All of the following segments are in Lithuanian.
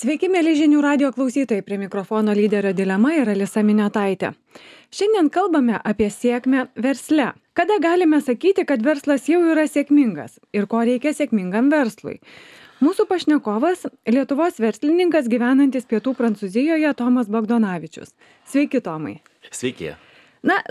Sveiki, mėly žinių radio klausytojai, prie mikrofono lyderio dilema ir Alisa Miniotaitė. Šiandien kalbame apie sėkmę versle. Kada galime sakyti, kad verslas jau yra sėkmingas ir ko reikia sėkmingam verslui? Mūsų pašnekovas – Lietuvos verslininkas gyvenantis Pietų Prancūzijoje Tomas Bogdanovičius. Sveiki, Tomai. Sveiki.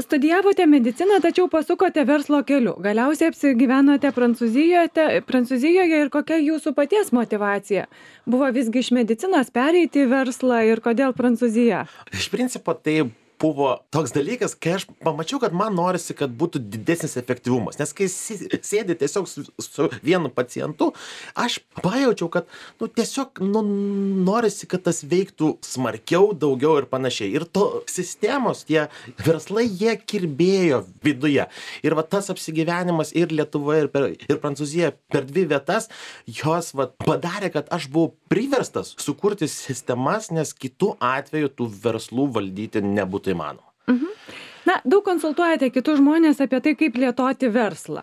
Studijavote mediciną, tačiau pasukote verslo keliu. Galiausiai apsigyvenote Prancūzijoje ir kokia jūsų paties motyvacija? Buvo visgi iš medicinos pereiti į verslą ir kodėl Prancūzija? Iš principo tai buvo toks dalykas, kai aš pamačiau, kad man norisi, kad būtų didesnis efektyvumas. Nes kai sėdi tiesiog su vienu pacientu, aš pajaučiau, kad tiesiog norisi, kad tas veiktų smarkiau, daugiau ir panašiai. Ir to sistemos, tie verslai, jie kirbėjo viduje. Ir tas apsigyvenimas ir Lietuvoje, ir Prancūzijoje per dvi vietas, jos padarė, kad aš buvau priverstas sukurti sistemas, nes kitų atveju tų verslų valdyti nebūtų įmanoma. Daug konsultuojate kitus žmonės apie tai, kaip plėtoti verslą.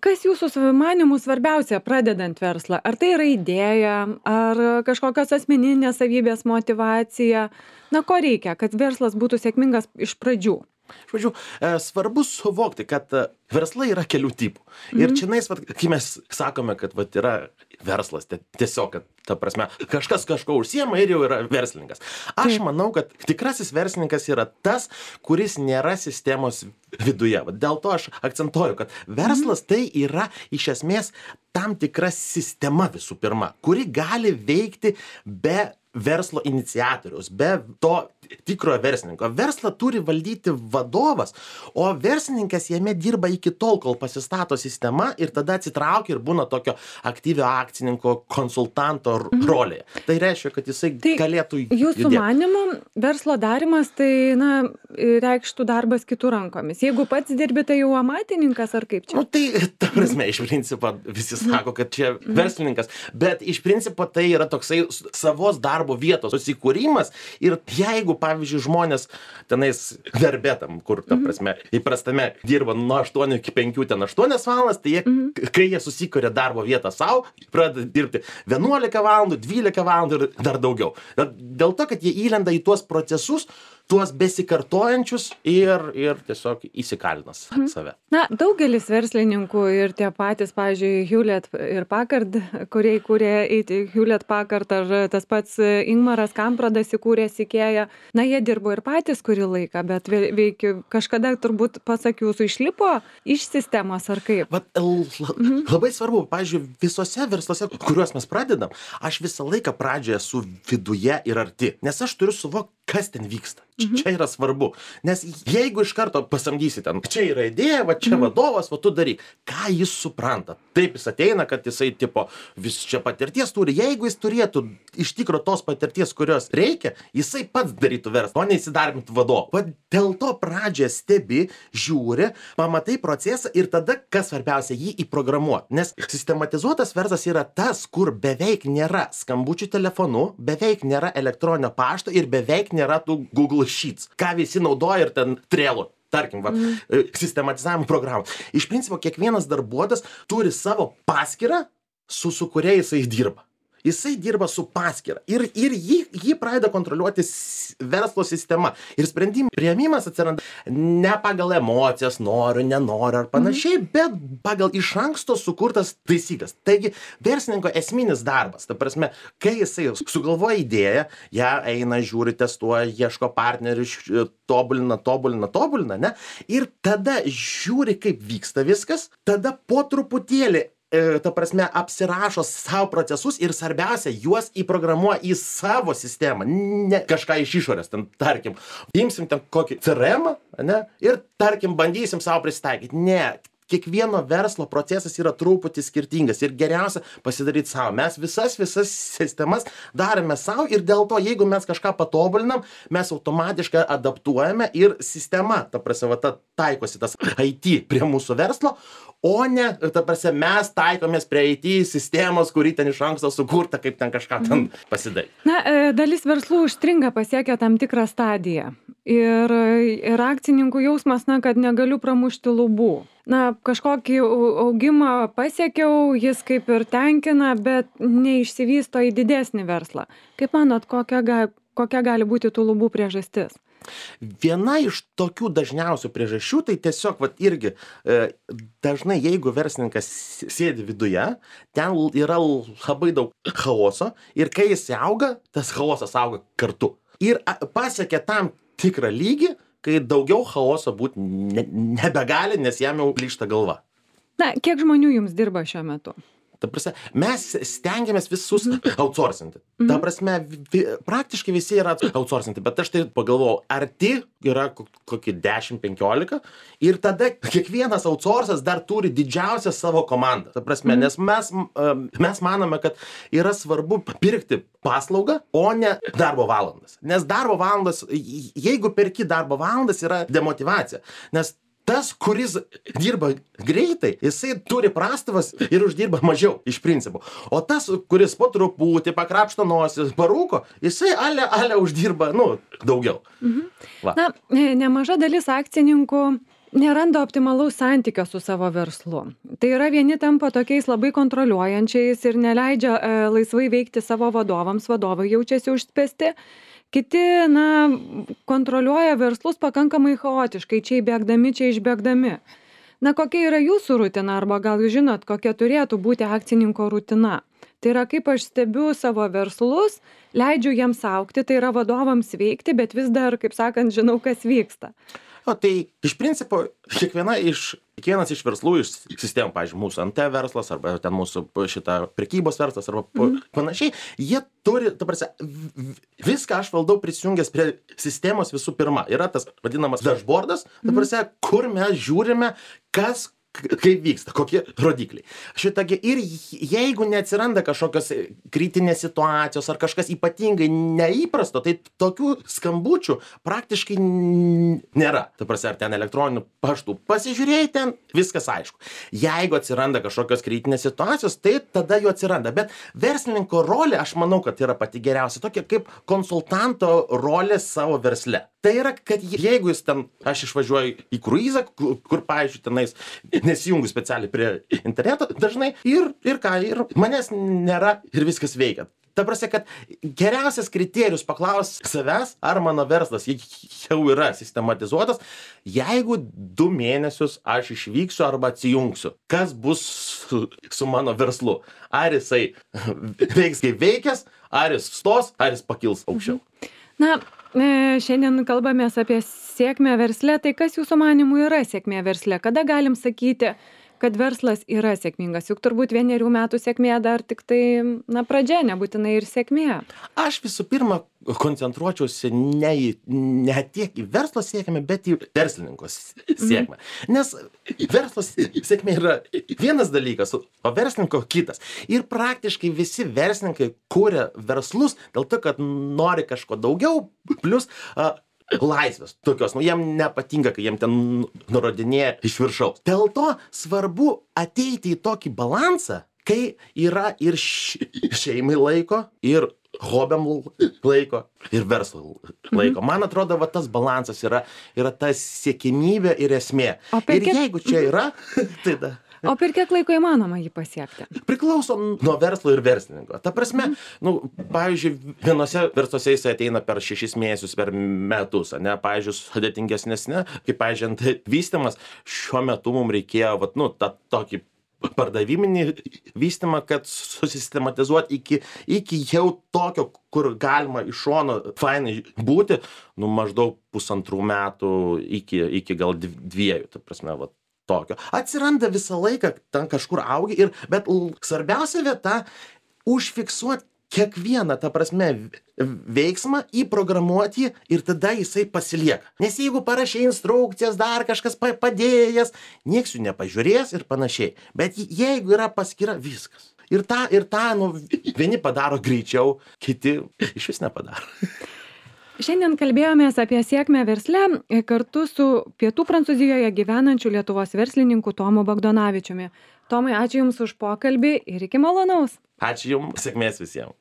Kas jūsų manymų svarbiausia pradedant verslą? Ar tai yra idėja, ar kažkokios asmeninės savybės motyvacija? Ko reikia, kad verslas būtų sėkmingas iš pradžių? Žodžiu, svarbu suvokti, kad verslai yra kelių tipų. Ir čionais, kai mes sakome, kad yra verslas, tiesiog, kad, ta prasme, kažkas kažko užsiema ir jau yra verslininkas. Aš manau, kad tikrasis verslininkas yra tas, kuris nėra sistemos viduje. Dėl to aš akcentuoju, kad verslas tai yra iš esmės tam tikra sistema visų pirma, kuri gali veikti be verslo iniciatoriaus, be to tikrojo verslininko. Verslą turi valdyti vadovas, o verslininkas jame dirba iki tol, kol pasistato sistema ir tada atsitraukia ir būna tokio aktyvio akcininko, konsultanto rolėje. Tai reiškia, kad jisai galėtų judėti. Jūsų manymu, verslo darimas tai, reikštų darbas kitų rankomis. Jeigu pats dirbi, tai jau amatininkas ar kaip čia? Ta prasme, iš principo visi sako, kad čia verslininkas, bet iš principo tai yra toksai savos darbo vietos susikūrimas ir jeigu, pavyzdžiui, žmonės tenais darbetam, kur, ta prasme, įprastame dirba nuo 8 iki 5, ten 8 valandas, tai kai jie susikuria darbo vietą savo, pradeda dirbti 11 valandų, 12 valandų ir dar daugiau. Dėl to, kad jie įlenda į tuos procesus, tuos besikartojančius ir tiesiog įsikalina save. Daugelis verslininkų ir tie patys, pavyzdžiui, Hewlett ir Packard, kurie įkūrė Hewlett Packard, ar tas pats Ingmaras Kampradas įkūrė Ikea, jie dirbo ir patys kurį laiką, bet kažkada turbūt, pasak jūsų, išlipo iš sistemos ar kaip? Labai svarbu, pavyzdžiui, visose versluose, kuriuos mes pradedam, aš visą laiką pradžioje esu viduje ir arti, nes aš turiu suvokti, kas ten vyksta. Čia yra svarbu. Nes jeigu iš karto pasamdysi ten, čia yra idėja, čia vadovas, tu daryk. Ką jis supranta? Taip jis ateina, kad jisai vis čia patirties turi. Jeigu jis turėtų iš tikro tos patirties, kurios reikia, jisai pats darytų verslą, o neįsidarbintų vadovą. Dėl to pradžioje stebi, žiūri, pamatai procesą ir tada, kas svarbiausia, jį įprogramuoti. Nes sistematizuotas verslas yra tas, kur beveik nėra skambučių telefonu, beveik nėra elektroninio pašto ir beveik nėra tų Google Sheets, ką visi naudoja ir ten Trello, tarkim, sistematizavimo programų. Iš principo, kiekvienas darbuotojas turi savo paskyrą, su kuria jisai dirba. Jisai dirba su paskyra ir jį pradeda kontroliuoti verslo sistema. Ir sprendimų priėmimas atsiranda ne pagal emocijas, noriu, nenoriu ar panašiai, bet pagal iš anksto sukurtas taisyklės. Taigi, verslininko esminis darbas, ta prasme, kai jisai sugalvoja idėją, ją eina, žiūri, testuoja, ieško partnerių, tobulina, ne? Ir tada žiūri, kaip vyksta viskas, tada po truputėlį ta prasme, apsirašo savo procesus ir svarbiausia, juos įprogramuoja į savo sistemą, ne kažką iš išorės, ten, tarkim, imsim ten kokį CRM, ne, ir, tarkim, bandysim savo prisitaikyti. Ne, kiekvieno verslo procesas yra truputį skirtingas ir geriausia pasidaryti savo. Mes visas sistemas darome savo ir dėl to, jeigu mes kažką patobulinam, mes automatiškai adaptuojame ir sistema, ta prasme, taikosi tas IT prie mūsų verslo, o ne, ta prasme, mes taikomės prie IT sistemos, kuri ten iš anksto sukurta, kaip ten kažką ten pasidaryti. Dalis verslų užstringa pasiekę tam tikrą stadiją. ir akcininkų jausmas, na, kad negaliu pramušti lubų. Na, kažkokį augimą pasiekiau, jis kaip ir tenkina, bet neišsivysto į didesnį verslą. Kaip manot, kokia gali būti tų lubų priežastis? Viena iš tokių dažniausių priežasčių, tai tiesiog, vat irgi, dažnai jeigu verslininkas sėdi viduje, ten yra labai daug chaoso ir kai jis auga, tas chaosas auga kartu. Ir pasiekia tam tikrą lygį, kai daugiau chaoso būti nebegali, nes jam jau plyšta galva. Na, kiek žmonių jums dirba šiuo metu? Ta prasme, mes stengiamės visus outsourcinti. Ta prasme, praktiškai visi yra outsourcinti, bet aš tai pagalvojau, arti yra kokie 10-15 ir tada kiekvienas outsourcas dar turi didžiausią savo komandą. Ta prasme, nes mes manome, kad yra svarbu pirkti paslaugą, o ne darbo valandas. Nes darbo valandas, jeigu perki darbo valandas, yra demotyvacija. Nes tas, kuris dirba greitai, jisai turi prastovas ir uždirba mažiau iš principo. O tas, kuris po truputį pakrapšto nosį, parūko, jisai ale uždirba, daugiau. Va. Na, nemaža dalis akcininkų neranda optimalaus santykio su savo verslu. Tai yra, vieni tampa tokiais labai kontroliuojančiais ir neleidžia laisvai veikti savo vadovams, vadovai jaučiasi užspęsti. Kiti, kontroliuoja verslus pakankamai chaotiškai, čia įbėgdami, čia išbėgdami. Na, kokia yra jūsų rutina, arba gal jūs žinot, kokia turėtų būti akcininko rutina? Tai yra, kaip aš stebiu savo verslus, leidžiu jiems augti, tai yra vadovams veikti, bet vis dar, kaip sakant, žinau, kas vyksta. O tai iš principo kiekvienas iš verslų, iš sistemų, pavyzdžiui, mūsų NT verslas, arba ten mūsų šitą prekybos verslas, arba panašiai, jie turi, ta prasme, viską aš valdau prisijungęs prie sistemos visų pirma. Yra tas vadinamas dashboardas, ta prasme, kur mes žiūrime, kaip vyksta, kokie rodikliai. Šitagi, ir jeigu neatsiranda kažkokios kritinės situacijos ar kažkas ypatingai neįprasto, tai tokių skambučių praktiškai nėra. Ta prasme, ar ten elektroninių paštų pasižiūrėjai, ten viskas aišku. Jeigu atsiranda kažkokios kritinės situacijos, tai tada jų atsiranda. Bet verslininko rolė, aš manau, kad yra pati geriausia, tokia kaip konsultanto rolė savo versle. Tai yra, kad jeigu jis ten, aš išvažiuoju į kruizą, kur, pavyzdžiui, tenais nesijungiu specialiai prie interneto dažnai ir manęs nėra ir viskas veikia. Ta prasme, kad geriausias kriterijus paklaus savęs, ar mano verslas jau yra sistematizuotas, jeigu 2 mėnesius aš išvyksiu arba atsijungsiu. Kas bus su mano verslu? Ar jisai veiks kaip veikęs, ar jis stos, ar jis pakils aukščiau? Na, šiandien kalbamės apie sėkmę versle, tai kas jūsų manimų yra sėkmė versle? Kada galim sakyti, kad verslas yra sėkmingas? Juk turbūt 1 metų sėkmė dar tik tai, pradžia, nebūtinai ir sėkmė. Aš visų pirma koncentruočiausi ne tiek į verslo sėkmę, bet į verslininko sėkmę. Nes verslo sėkmė yra vienas dalykas, o verslininko kitas. Ir praktiškai visi verslininkai kuria verslus dėl to, kad nori kažko daugiau, plus laisvės tokios, jiem nepatinka, kai jiem ten nurodinėja iš viršaus. Dėl to svarbu ateiti į tokį balansą, kai yra ir šeimai laiko, ir hobiam laiko, ir verslo laiko. Man atrodo, va tas balansas yra ta siekimybė ir esmė. Ir jeigu čia yra, tai da. O per kiek laiko įmanoma jį pasiekti? Priklauso nuo verslo ir verslininko. Ta prasme, pavyzdžiui, vienose versluose jis ateina per 6 mėnesius, per metus, ne, pavyzdžiui, sudėtingesnė, kaip, pavyzdžiui, vystymas, šiuo metu mums reikėjo, tą tokį pardaviminį vystymą, kad susistematizuoti iki jau tokio, kur galima iš šono fainai būti, maždaug 1,5 metų iki gal 2, ta prasme, tokio. Atsiranda visą laiką, ten kažkur augi, bet svarbiausia vieta užfiksuoti kiekvieną, ta prasme, veiksmą, įprogramuoti ir tada jisai pasilieka. Nes jeigu parašai instrukcijas, dar kažkas padėjęs, nieks jų nepažiūrės ir panašiai. Bet jeigu yra paskyra, viskas. Ir tą, vieni padaro greičiau, kiti iš vis nepadaro. Šiandien kalbėjomės apie sėkmę versle kartu su Pietų Prancūzijoje gyvenančiu Lietuvos verslininku Tomu Bagdonavičiumi. Tomai, ačiū Jums už pokalbį ir iki malonaus. Ačiū Jums, sėkmės visiems.